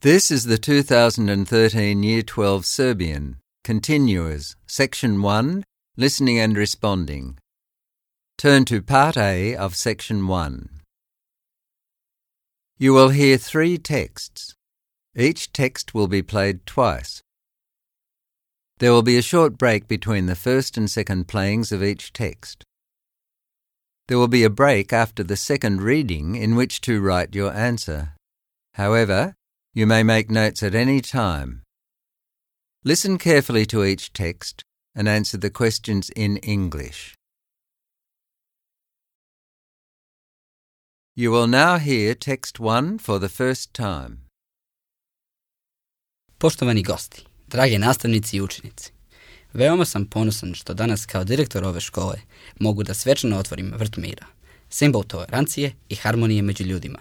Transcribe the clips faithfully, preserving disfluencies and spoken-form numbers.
This is the two thousand thirteen Year twelve Serbian, Continuers, Section one, Listening and Responding. Turn to Part A of Section one. You will hear three texts. Each text will be played twice. There will be a short break between the first and second playings of each text. There will be a break after the second reading in which to write your answer. However, you may make notes at any time. Listen carefully to each text and answer the questions in English. You will now hear text one for the first time. Poštovani gosti, drage nastavnici i učenici, veoma sam ponosan što danas kao direktor ove škole mogu da svečano otvorim vrt mira, simbol tolerancije i harmonije među ljudima.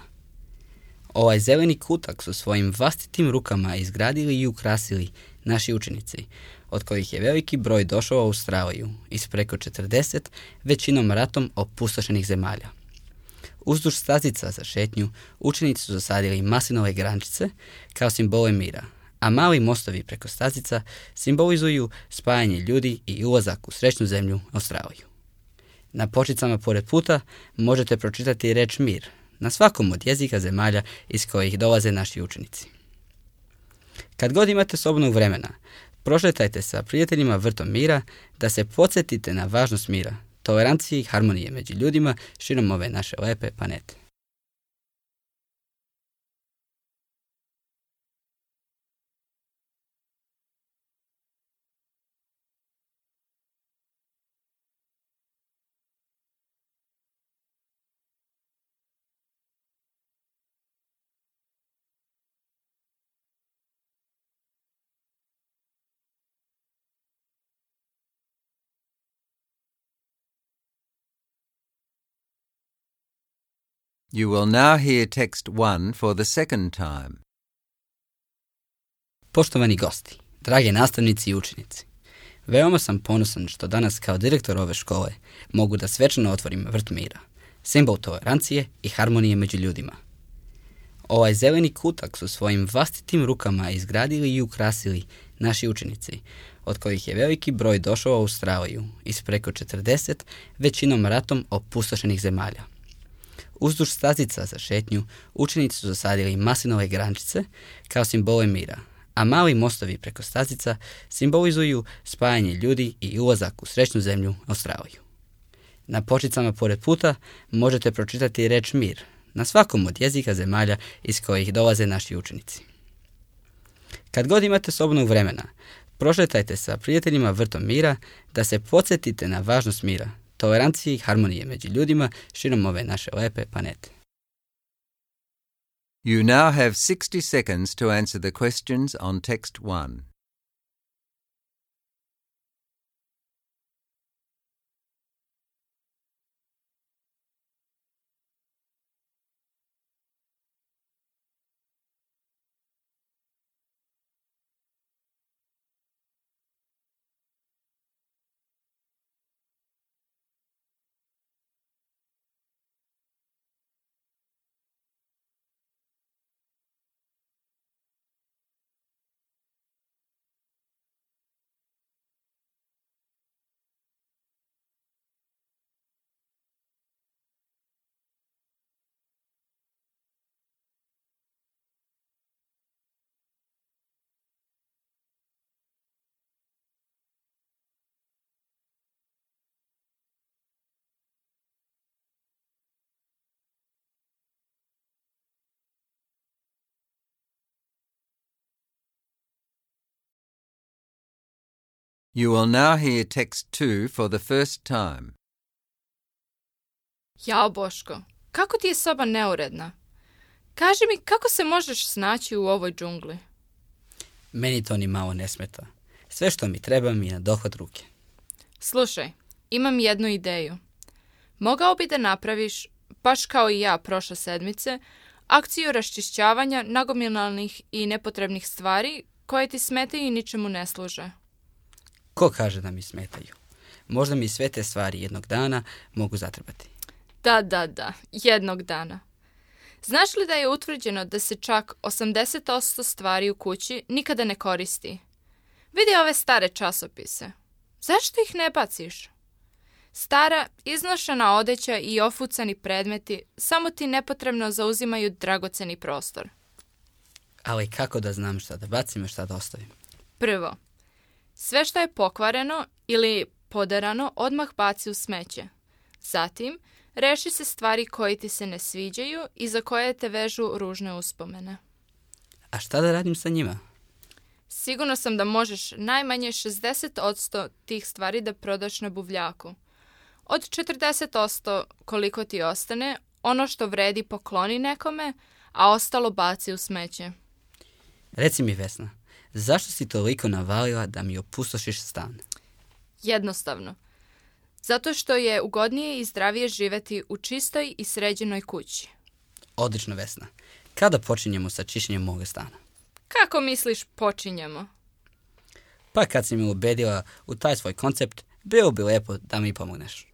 Ovaj zeleni kutak su svojim vlastitim rukama izgradili i ukrasili naši učenici, od kojih je veliki broj došao u Australiju iz preko četrdeset većinom ratom opustošenih zemalja. Uzduž stazica za šetnju učenici su zasadili maslinove grančice kao simbole mira, a mali mostovi preko stazica simbolizuju spajanje ljudi i ulazak u srećnu zemlju Australiju. Na počicama pored puta možete pročitati reč mir na svakom od jezika zemalja iz kojih dolaze naši učenici. Kad god imate slobodnog vremena, prošetajte sa prijateljima vrtom mira da se podsjetite na važnost mira, tolerancije i harmonije među ljudima širom ove naše lepe planete. You will now hear text one for the second time. Poštovani gosti, drage nastavnici i učenici, veoma sam ponosan što danas kao direktor ove škole mogu da svečano otvorim vrt mira, simbol tolerancije i harmonije među ljudima. Ovaj zeleni kutak su svojim vlastitim rukama izgradili i ukrasili naši učenici, od kojih je veliki broj došao u Australiju iz preko četrdeset većinom ratom opustošenih zemalja. Uzduž stazica za šetnju učenici su zasadili maslinove grančice kao simbole mira, a mali mostovi preko stazica simbolizuju spajanje ljudi i ulazak u srećnu zemlju Australiju. Na počicama pored puta možete pročitati reč mir na svakom od jezika zemalja iz kojih dolaze naši učenici. Kad god imate slobodnog vremena, prošetajte sa prijateljima vrtom mira da se podsjetite na važnost mira, tolerancije i harmonije među ljudima širom ove naše lepe planete. You now have sixty seconds to answer the questions on text one. You will now hear text two for the first time. Jao, Boško, kako ti je soba neuredna? Kaži mi, kako se možeš snaći u ovoj džungli? Meni to ni malo ne smeta. Sve što mi treba mi je na dohvat ruke. Slušaj, imam jednu ideju. Mogao bi da napraviš, baš kao i ja prošle sedmice, akciju raščišćavanja nagomilalnih i nepotrebnih stvari koje ti smetaju i ničemu ne služe. Ko kaže da mi smetaju? Možda mi sve te stvari jednog dana mogu zatrebati. Da, da, da, jednog dana. Znaš li da je utvrđeno da se čak osamdeset posto stvari u kući nikada ne koristi? Vidi ove stare časopise. Zašto ih ne baciš? Stara, iznošena odeća i ofucani predmeti samo ti nepotrebno zauzimaju dragoceni prostor. Ali kako da znam šta da bacim i šta da ostavim? Prvo, sve što je pokvareno ili poderano odmah baci u smeće. Zatim, reši se stvari koje ti se ne sviđaju i za koje te vežu ružne uspomene. A šta da radim sa njima? Sigurno sam da možeš najmanje šezdeset posto tih stvari da prodaš na buvljaku. Od četrdeset posto koliko ti ostane, ono što vredi pokloni nekome, a ostalo baci u smeće. Reci mi, Vesna, zašto si toliko navalila da mi opustošiš stan? Jednostavno. Zato što je ugodnije i zdravije živjeti u čistoj i sređenoj kući. Odlično, Vesna. Kada počinjemo sa čišćenjem moga stana? Kako misliš počinjemo? Pa kad si me ubedila u taj svoj koncept, bilo bi lepo da mi pomogneš.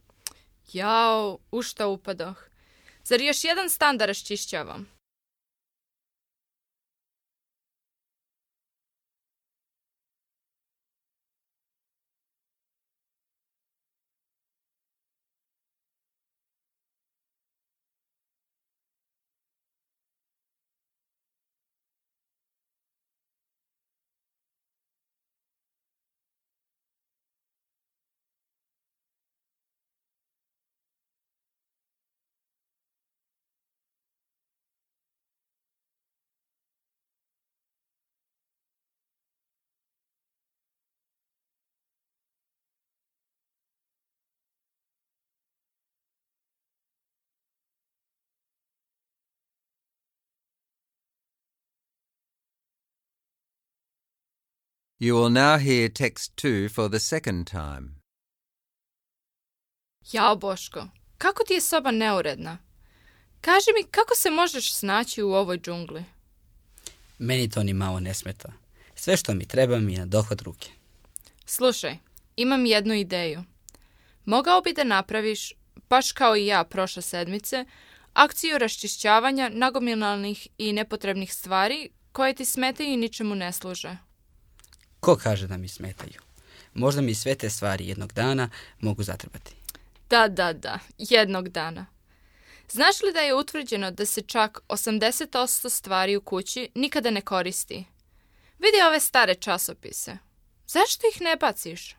Jao, u šta upadoh. Zar još jedan stan da raščišćavam? You will now hear text two for the second time. Jao, Boško, kako ti je soba neuredna? Kaži mi, kako se možeš snaći u ovoj džungli? Meni to ni malo ne smeta. Sve što mi treba mi je na dohvat ruke. Slušaj, imam jednu ideju. Mogao bi da napraviš, baš kao i ja prošle sedmice, akciju raščišćavanja nagomilanih i nepotrebnih stvari koje ti smetaju i ničemu ne služe. Ko kaže da mi smetaju? Možda mi sve te stvari jednog dana mogu zatrebati. Da, da, da, jednog dana. Znaš li da je utvrđeno da se čak osamdeset posto stvari u kući nikada ne koristi? Vidi ove stare časopise. Zašto ih ne baciš?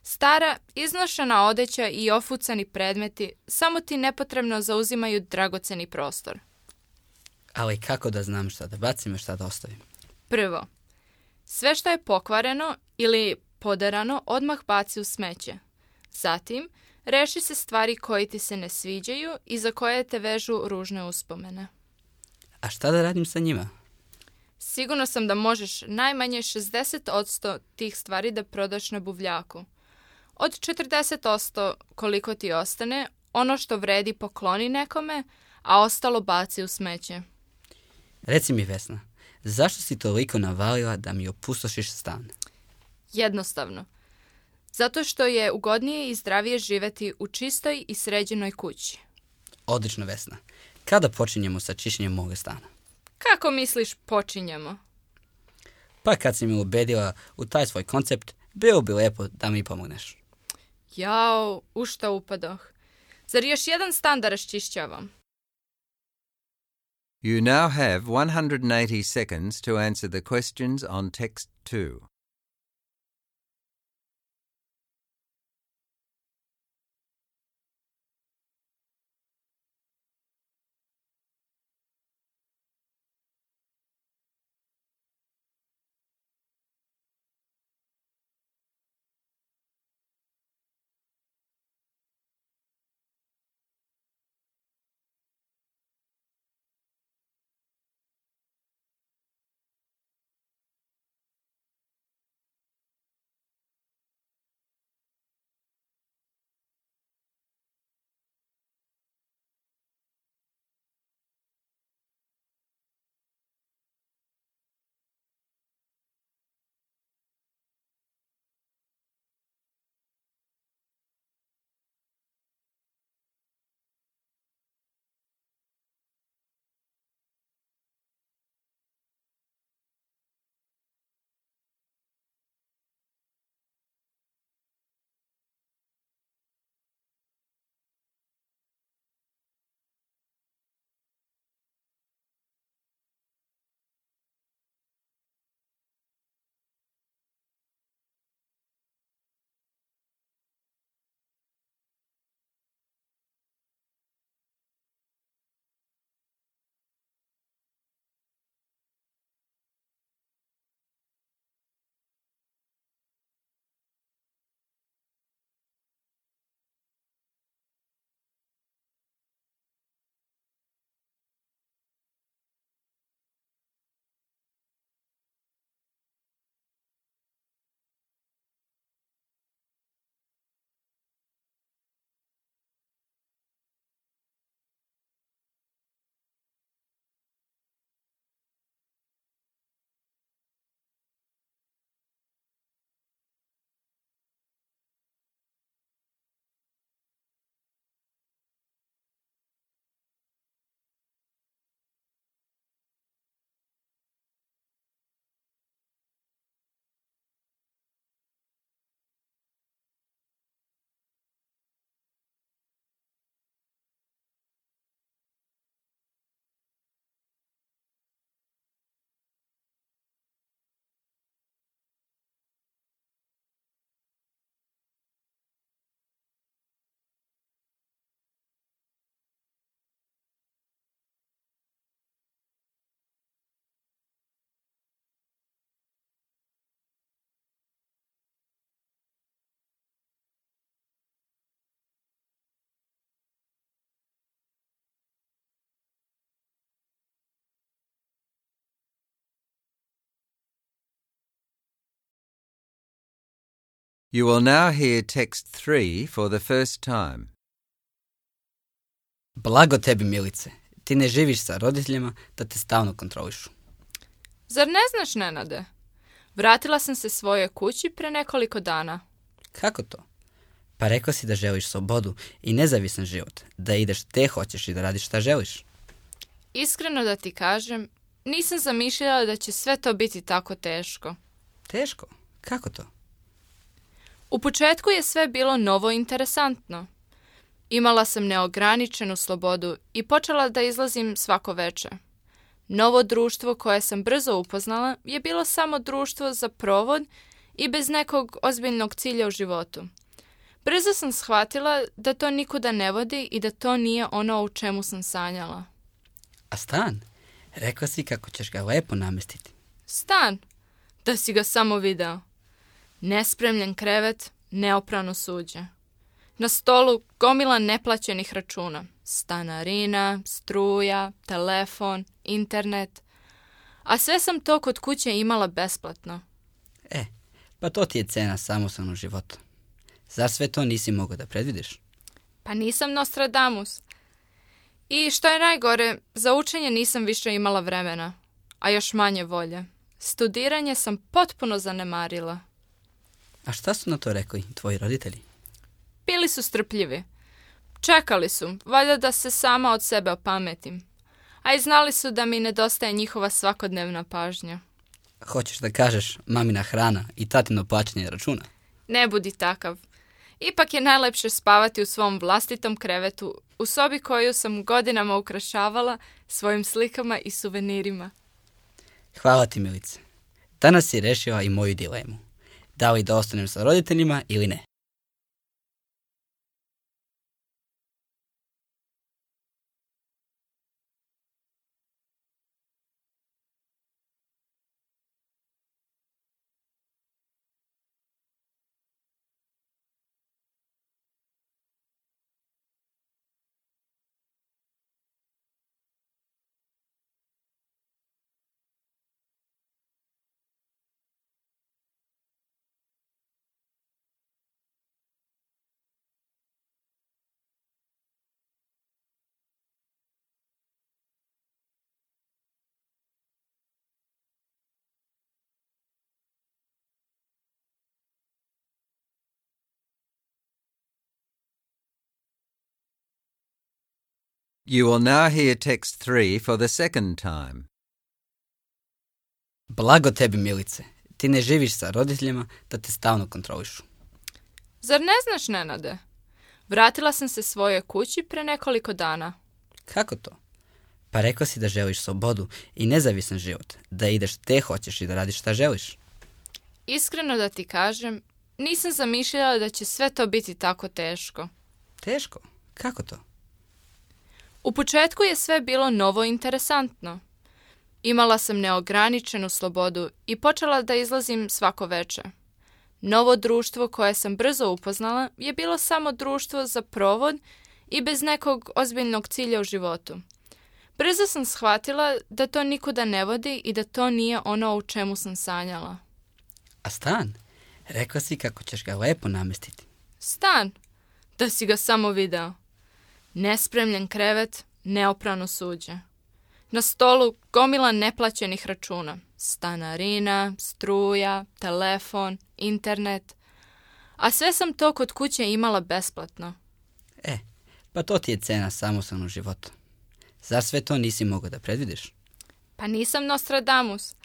Stara, iznošena odeća i ofucani predmeti samo ti nepotrebno zauzimaju dragoceni prostor. Ali kako da znam šta da bacim i šta da ostavim? Prvo, sve što je pokvareno ili poderano odmah baci u smeće. Zatim, reši se stvari koje ti se ne sviđaju i za koje te vežu ružne uspomene. A šta da radim sa njima? Sigurno sam da možeš najmanje šezdeset posto tih stvari da prodaš na buvljaku. Od četrdeset posto koliko ti ostane, ono što vredi pokloni nekome, a ostalo baci u smeće. Reci mi, Vesna, zašto si toliko navalila da mi opustošiš stan? Jednostavno. Zato što je ugodnije i zdravije živjeti u čistoj i sređenoj kući. Odlično, Vesna. Kada počinjemo sa čišćenjem moga stana? Kako misliš počinjemo? Pa kad si me ubedila u taj svoj koncept, bilo bi lepo da mi pomogneš. Jao, u šta upadoh. Zar još jedan stan da raščišćavam? You now have one hundred eighty seconds to answer the questions on text two. You will now hear text three for the first time. Blago tebi, Milice. Ti ne živiš sa roditeljima da te stalno kontrolišu. Zar ne znaš, Nenade? Vratila sam se svojoj kući pre nekoliko dana. Kako to? Pa rekao si da želiš slobodu i nezavisan život, da ideš gde hoćeš i da radiš šta želiš. Iskreno da ti kažem, nisam zamišljala da će sve to biti tako teško. Teško? Kako to? U početku je sve bilo novo i interesantno. Imala sam neograničenu slobodu i počela da izlazim svako veče. Novo društvo koje sam brzo upoznala je bilo samo društvo za provod i bez nekog ozbiljnog cilja u životu. Brzo sam shvatila da to nikuda ne vodi i da to nije ono u čemu sam sanjala. A stan? Rekla si kako ćeš ga lepo namestiti. Stan? Da si ga samo video. Nespremljen krevet, neoprano suđe. Na stolu gomila neplaćenih računa. Stanarina, struja, telefon, internet. A sve sam to kod kuće imala besplatno. E, pa to ti je cena samostalnog života. Zar sve to nisi mogao da predvidiš? Pa nisam Nostradamus. I što je najgore, za učenje nisam više imala vremena, a još manje volje. Studiranje sam potpuno zanemarila. A šta su na to rekli tvoji roditelji? Bili su strpljivi. Čekali su, valjda da se sama od sebe opametim. A i znali su da mi nedostaje njihova svakodnevna pažnja. Hoćeš da kažeš mamina hrana i tatino plaćanje računa? Ne budi takav. Ipak je najlepše spavati u svom vlastitom krevetu, u sobi koju sam godinama ukrašavala svojim slikama i suvenirima. Hvala ti, Milice. Danas si rešila i moju dilemu. Da li da ostanem sa roditeljima ili ne? You will now hear text three for the second time. Blago tebi, Milice. Ti ne živiš sa roditeljima da te stalno kontrolišu. Zar ne znaš, Nenade? Vratila sam se svojoj kući pre nekoliko dana. Kako to? Pa rekla si da želiš slobodu i nezavisan život, da ideš gde hoćeš i da radiš šta želiš. Iskreno da ti kažem, nisam zamišljala da će sve to biti tako teško. Teško? Kako to? U početku je sve bilo novo i interesantno. Imala sam neograničenu slobodu i počela da izlazim svako veče. Novo društvo koje sam brzo upoznala je bilo samo društvo za provod i bez nekog ozbiljnog cilja u životu. Brzo sam shvatila da to nikuda ne vodi i da to nije ono u čemu sam sanjala. A stan? Rekla si kako ćeš ga lepo namestiti. Stan? Da si ga samo video. Nespremljen krevet, neoprano suđe. Na stolu gomila neplaćenih računa. Stanarina, struja, telefon, internet. A sve sam to kod kuće imala besplatno. E, pa to ti je cena samostalnog života. Zar sve to nisi mogao da predvidiš? Pa nisam Nostradamus.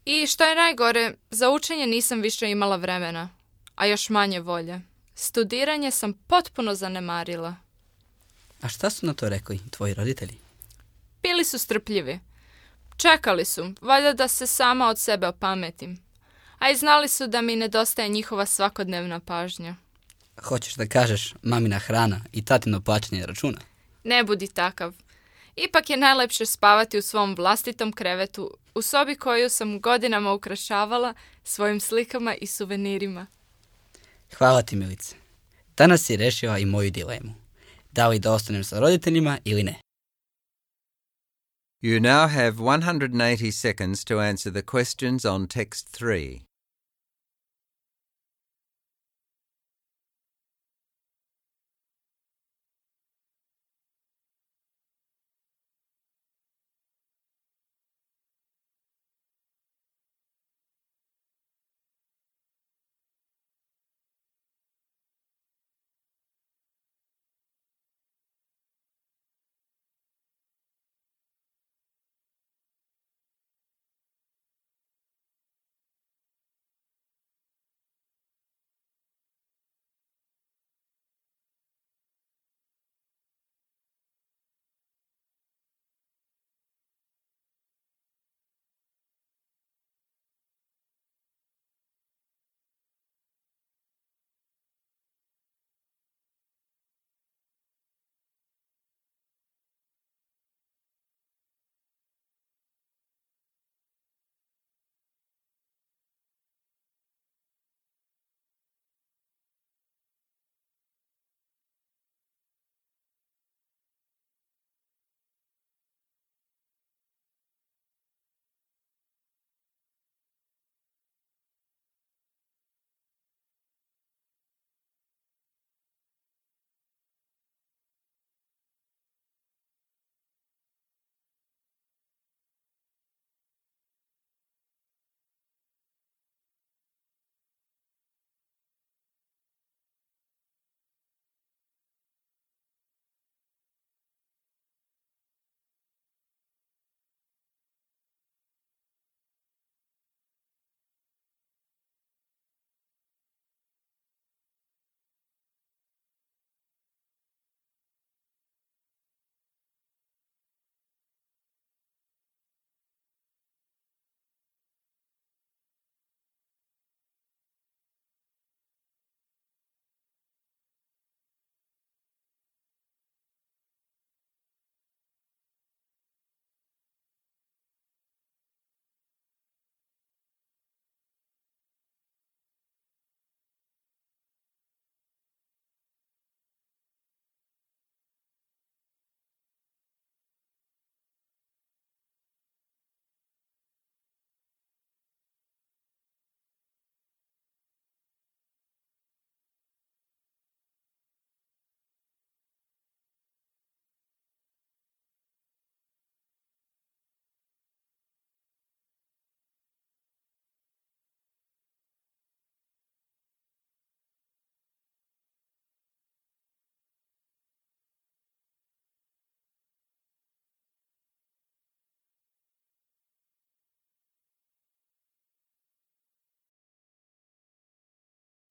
I što je najgore, za učenje nisam više imala vremena, a još manje volje. Studiranje sam potpuno zanemarila. A šta su na to rekli tvoji roditelji? Bili su strpljivi. Čekali su, valjda da se sama od sebe opametim. A i znali su da mi nedostaje njihova svakodnevna pažnja. Hoćeš da kažeš mamina hrana i tatino plaćanje računa? Ne budi takav. Ipak je najlepše spavati u svom vlastitom krevetu, u sobi koju sam godinama ukrašavala svojim slikama i suvenirima. Hvala ti, Milice. Danas si rešila i moju dilemu. Da li da ostanem sa roditeljima ili ne? You now have one hundred eighty seconds to answer the questions on text three.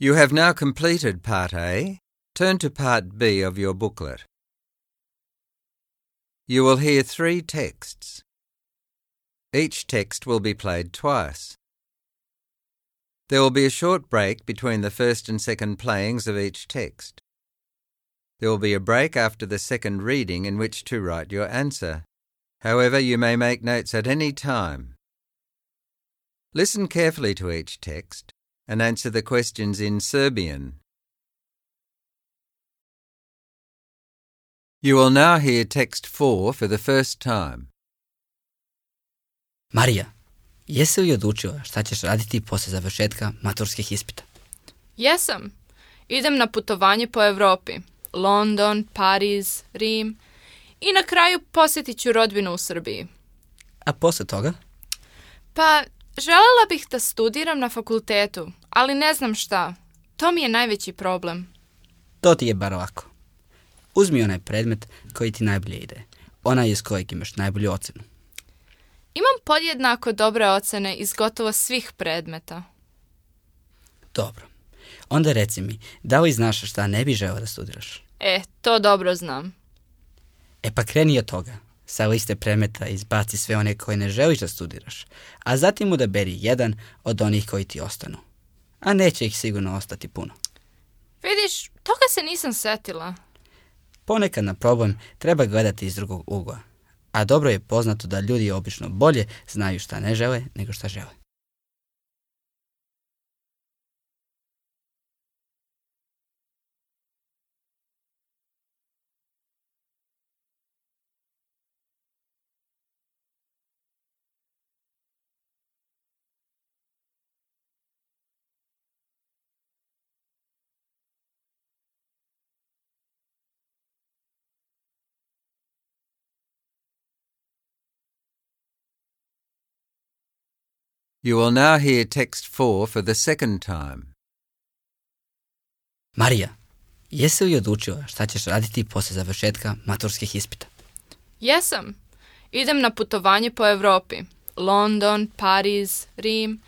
You have now completed Part A. Turn to Part B of your booklet. You will hear three texts. Each text will be played twice. There will be a short break between the first and second playings of each text. There will be a break after the second reading in which to write your answer. However, you may make notes at any time. Listen carefully to each text and answer the questions in Serbian. You will now hear text four for the first time. Marija, jesi li odlučila šta ćeš raditi poslije završetka maturskih ispita? Jesam. Idem na putovanje po Evropi. London, Pariz, Rim i na kraju posjetit ću rodbinu u Srbiji. A poslije toga? Pa, želela bih da studiram na fakultetu, ali ne znam šta. To mi je najveći problem. To ti je bar lako. Uzmi onaj predmet koji ti najbolje ide. Onaj iz kojeg imaš najbolju ocenu. Imam podjednako dobre ocene iz gotovo svih predmeta. Dobro. Onda reci mi, da li znaš šta ne bi želeo da studiraš? E, to dobro znam. E pa kreni od toga. Sa liste predmeta izbaci sve one koje ne želiš da studiraš, a zatim odaberi jedan od onih koji ti ostanu. A neće ih sigurno ostati puno. Vidiš, toga se nisam setila. Ponekad na problem treba gledati iz drugog ugla, a dobro je poznato da ljudi obično bolje znaju šta ne žele nego šta žele. You will now hear text four for the second time. Marija, jesi li odlučila šta ćeš raditi poslije završetka maturskih ispita? Jesam. Idem na putovanje po Evropi. London, Pariz, Rim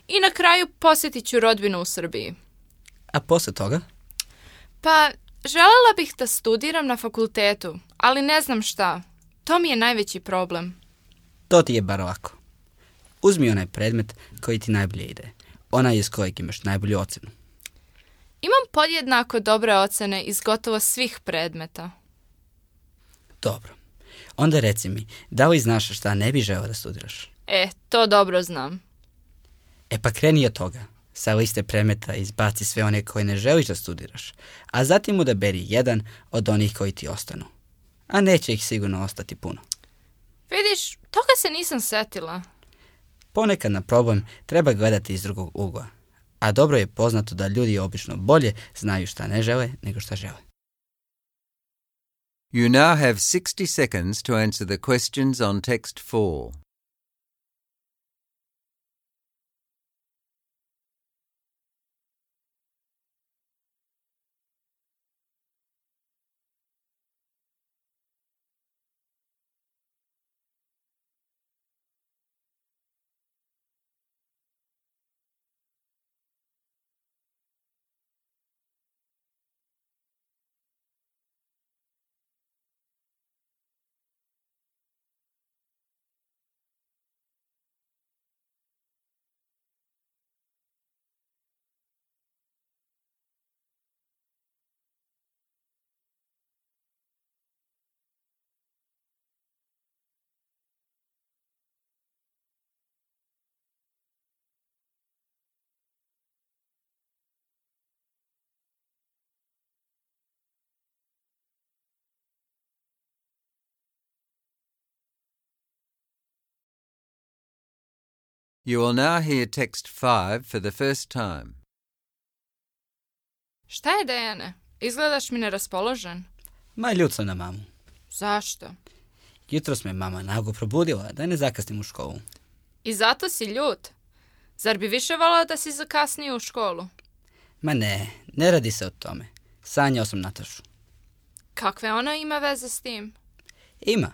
i na kraju posjetit ću rodbinu u Srbiji. A poslije toga? Pa, želela bih da studiram na fakultetu, ali ne znam šta. To mi je najveći problem. To ti je bar lako. Uzmi onaj predmet koji ti najbolje ide. Onaj iz kojeg imaš najbolju ocenu. Imam podjednako dobre ocene iz gotovo svih predmeta. Dobro. Onda reci mi, da li znaš šta ne bi želeo da studiraš? E, to dobro znam. E pa kreni od toga. Sa liste predmeta izbaci sve one koje ne želiš da studiraš, a zatim odaberi jedan od onih koji ti ostanu. A neće ih sigurno ostati puno. Vidiš, toga se nisam setila. Ponekad na problem treba gledati iz drugog ugla, a dobro je poznato da ljudi obično bolje znaju šta ne žele nego šta žele. You now have sixty seconds to answer the questions on text four. You will now hear text five for the first time. Šta je, Dejane? Izgledaš mi neraspoložen. Ma ljut sam na mamu. Zašto? Jutros me mama naglo probudila da ne zakasnim u školu. I zato si ljut? Zar bi više volao da si zakasnio u školu? Ma ne, ne radi se o tome. Sanjao sam Natašu. Kakve ona ima veze s tim? Ima.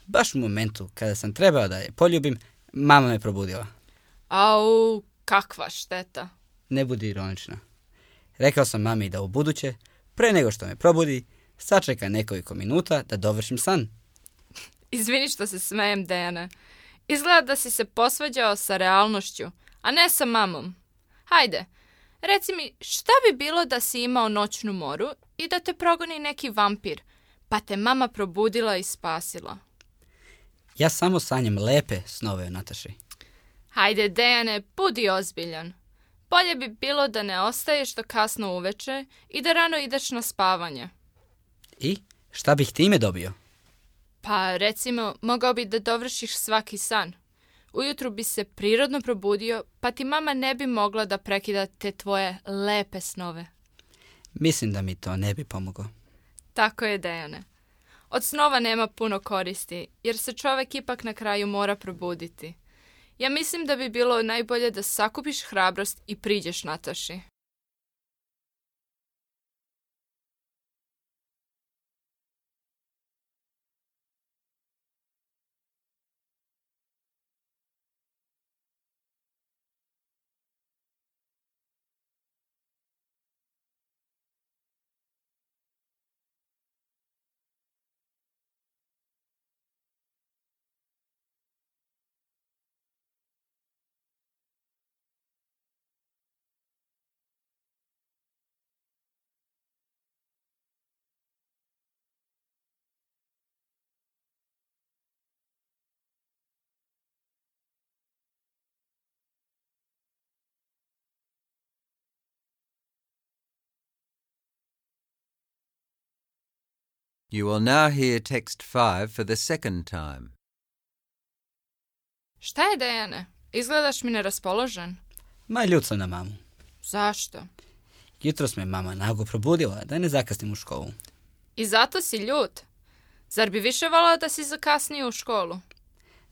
Baš u momentu kada sam trebao da je poljubim, mama me probudila. Au, kakva šteta. Ne budi ironična. Rekao sam mami da u buduće, pre nego što me probudi, sačeka nekoliko minuta da dovršim san. Izvini što se smejem, Dejane. Izgleda da si se posvađao sa realnošću, a ne sa mamom. Hajde, reci mi, šta bi bilo da si imao noćnu moru i da te progoni neki vampir, pa te mama probudila i spasila? Ja samo sanjam lepe snove o Nataši. Hajde, Dejane, budi ozbiljan. Bolje bi bilo da ne ostaješ do kasno uveče i da rano ideš na spavanje. I šta bih time dobio? Pa, recimo, mogao bi da dovršiš svaki san. Ujutru bi se prirodno probudio, pa ti mama ne bi mogla da prekida te tvoje lepe snove. Mislim da mi to ne bi pomoglo. Tako je, Dejane. Od snova nema puno koristi, jer se čovek ipak na kraju mora probuditi. Ja mislim da bi bilo najbolje da sakupiš hrabrost i priđeš Nataši. You will now hear text five for the second time. Šta je, Dejane? Izgledaš mi neraspoložen. Ma ljut sam na mamu. Zašto? Jutros me mama nago probudila da ne zakasnim u školu. I zato si ljut? Zar bi više volao da si zakasnio u školu?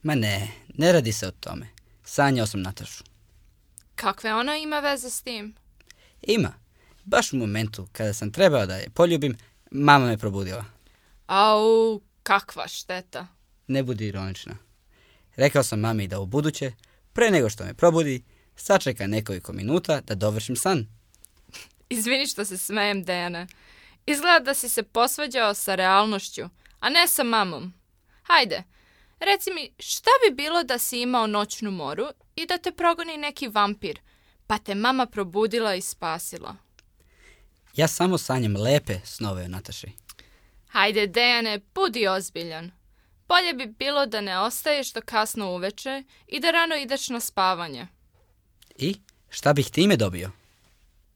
Ma ne, ne radi se o tome. Sanjao sam Natašu. Kakve ona ima veze s tim? Ima. Baš u momentu kada sam trebao da je poljubim, mama me probudila. Au, kakva šteta. Ne budi ironična. Rekao sam mami da u buduće, pre nego što me probudi, sačeka nekoliko minuta da dovršim san. Izvini što se smejem, Dejane. Izgleda da si se posvađao sa realnošću, a ne sa mamom. Hajde, reci mi, šta bi bilo da si imao noćnu moru i da te progoni neki vampir, pa te mama probudila i spasila? Ja samo sanjam lepe snove o Nataši. Hajde, Dejane, budi ozbiljan. Bolje bi bilo da ne ostaješ do kasno uveče i da rano ideš na spavanje. I šta bih time dobio?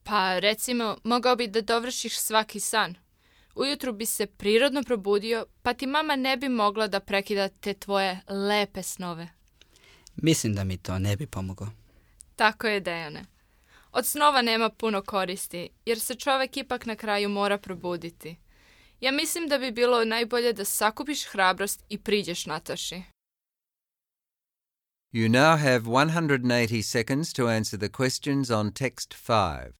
Pa, recimo, mogao bi da dovršiš svaki san. Ujutru bi se prirodno probudio, pa ti mama ne bi mogla da prekida te tvoje lepe snove. Mislim da mi to ne bi pomoglo. Tako je, Dejane. Od snova nema puno koristi, jer se čovek ipak na kraju mora probuditi. Ja mislim da bi bilo najbolje da sakupiš hrabrost i priđeš Nataši. You now have one hundred eighty seconds to answer the questions on text five.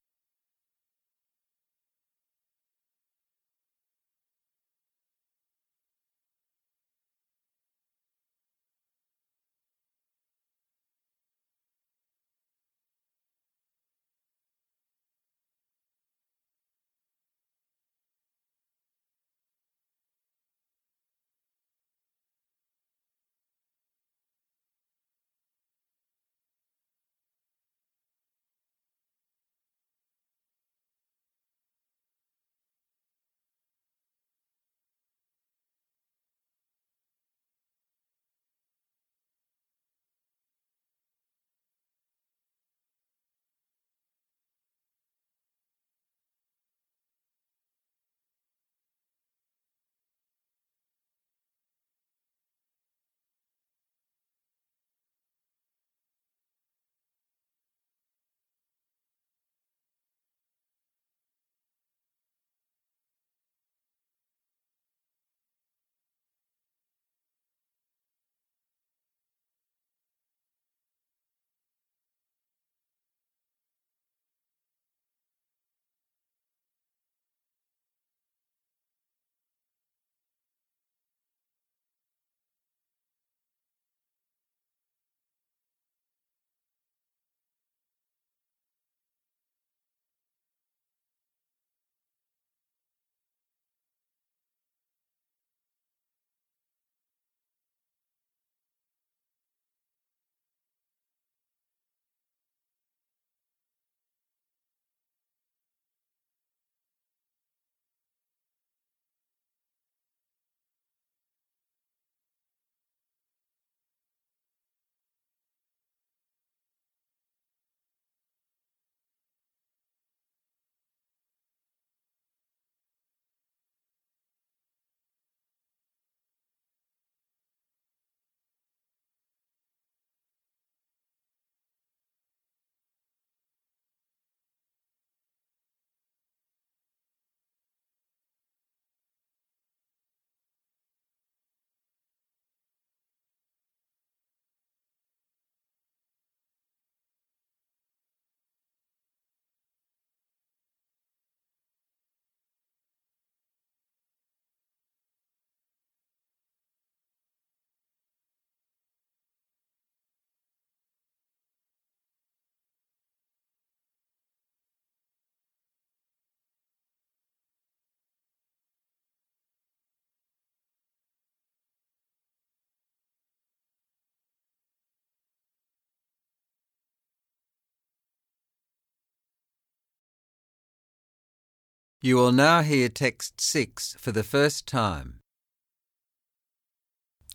You will now hear text six for the first time.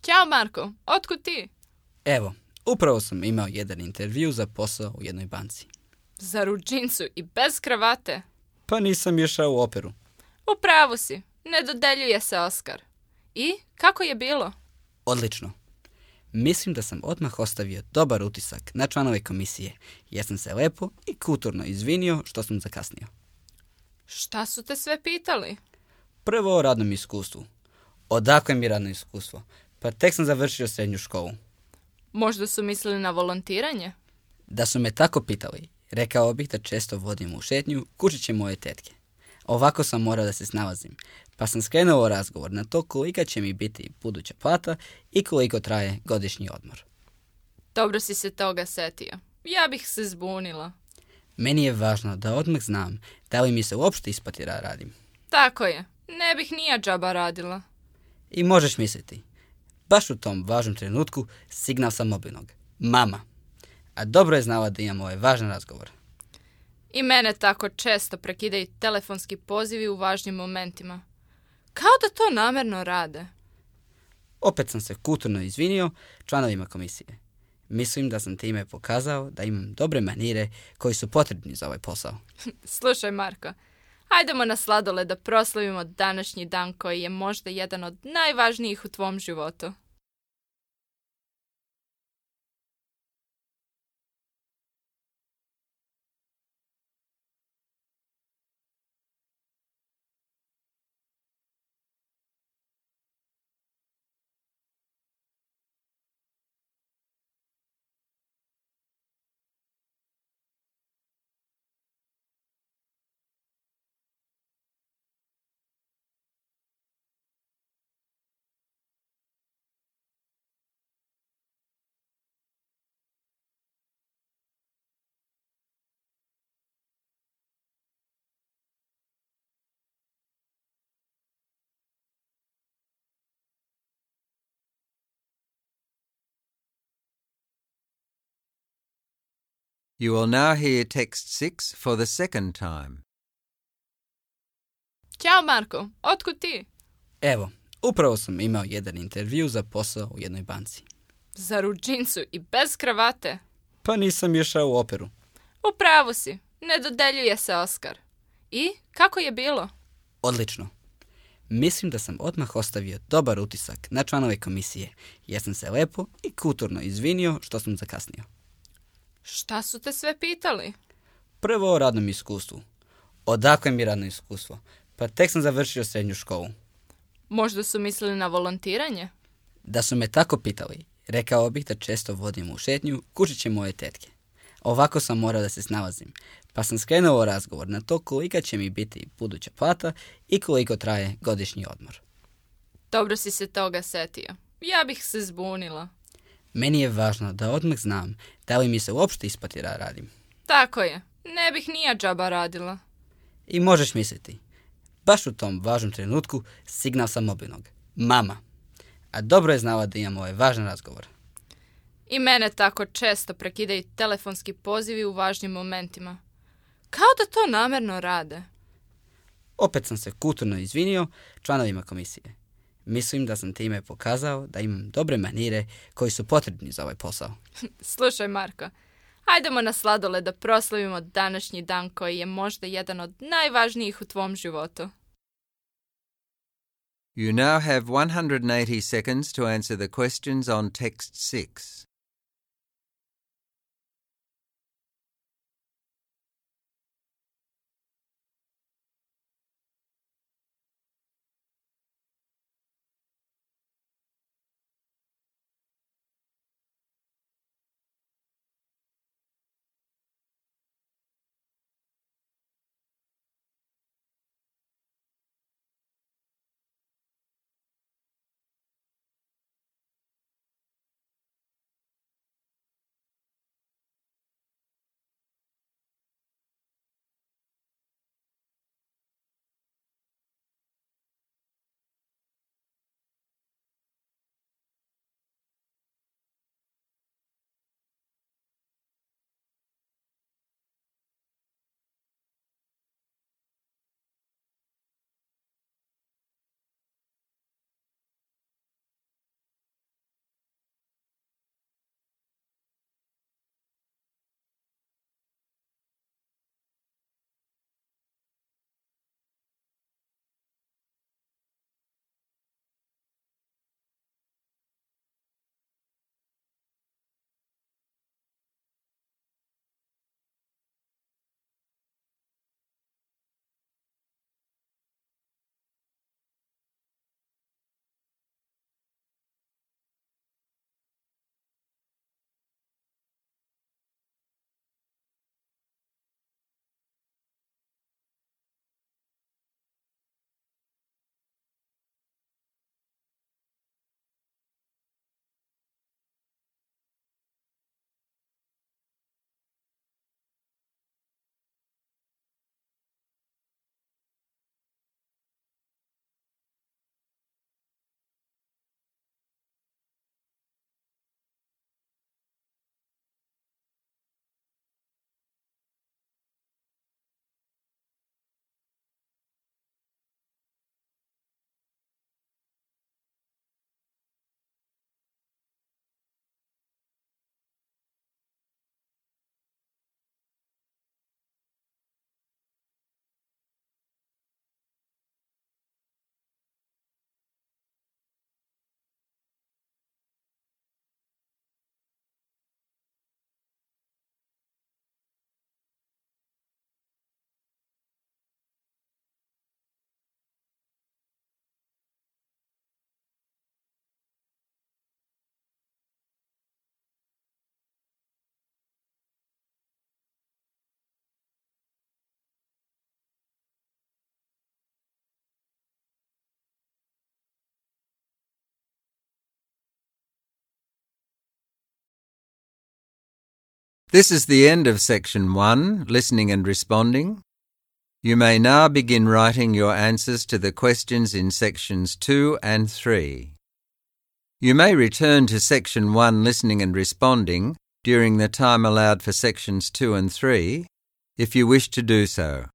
Ćao Marko, otkud ti? Evo, upravo sam imao jedan intervju za posao u jednoj banci. Zar u džinsu i bez kravate? Pa nisam išao u operu. U pravu si, ne dodeljuje se Oskar. I, kako je bilo? Odlično. Mislim da sam odmah ostavio dobar utisak na članove komisije, jer sam se lepo i kulturno izvinio što sam zakasnio. Šta su te sve pitali? Prvo o radnom iskustvu. Odakle mi radno iskustvo? Pa tek sam završio srednju školu. Možda su mislili na volontiranje? Da su me tako pitali, rekao bih da često vodim u šetnju kućiće moje tetke. Ovako sam morao da se snalazim, pa sam skrenuo razgovor na to kolika će mi biti buduća plata i koliko traje godišnji odmor. Dobro si se toga setio. Ja bih se zbunila. Meni je važno da odmah znam da li mi se uopšte isplati da radim. Tako je, ne bih nija džaba radila. I možeš misliti, baš u tom važnom trenutku signal sam mobilnog. Mama. A dobro je znala da imam ovaj važan razgovor. I mene tako često prekidaju telefonski pozivi u važnim momentima. Kao da to namerno rade. Opet sam se kulturno izvinio članovima komisije. Mislim da sam time pokazao da imam dobre manire koji su potrebni za ovaj posao. Slušaj Marko, hajdemo na sladoled da proslavimo današnji dan koji je možda jedan od najvažnijih u tvom životu. You will now hear text six for the second time. Ćao Marko, otkud ti? Evo, upravo sam imao jedan intervju za posao u jednoj banci. Zar u džinsu i bez kravate? Pa nisam išao u operu. U pravu si, ne dodeljuje se Oskar. I, kako je bilo? Odlično. Mislim da sam odmah ostavio dobar utisak na članove komisije, jer sam se lepo i kulturno izvinio što sam zakasnio. Šta su te sve pitali? Prvo o radnom iskustvu. Odakle mi radno iskustvo? Pa tek sam završio srednju školu. Možda su mislili na volontiranje? Da su me tako pitali, rekao bih da često vodim u šetnju kućiće moje tetke. Ovako sam morao da se snalazim, pa sam skrenuo razgovor na to kolika će mi biti buduća plata i koliko traje godišnji odmor. Dobro si se toga setio. Ja bih se zbunila. Meni je važno da odmah znam da li mi se uopšte isplati da radim. Tako je, ne bih nija džaba radila. I možeš misliti, baš u tom važnom trenutku signal sam mobilnog. Mama. A dobro je znala da imam ovaj važan razgovor. I mene tako često prekidaju telefonski pozivi u važnim momentima. Kao da to namerno rade. Opet sam se kulturno izvinio članovima komisije. Mislim da sam time pokazao da imam dobre manire koji su potrebni za ovaj posao. Slušaj Marko, hajdemo na sladoled da proslavimo današnji dan koji je možda jedan od najvažnijih u tvom životu. You now have one hundred eighty seconds to answer the questions on text six. This is the end of section one, listening and responding. You may now begin writing your answers to the questions in sections two and three. You may return to section one, listening and responding, during the time allowed for sections two and three, if you wish to do so.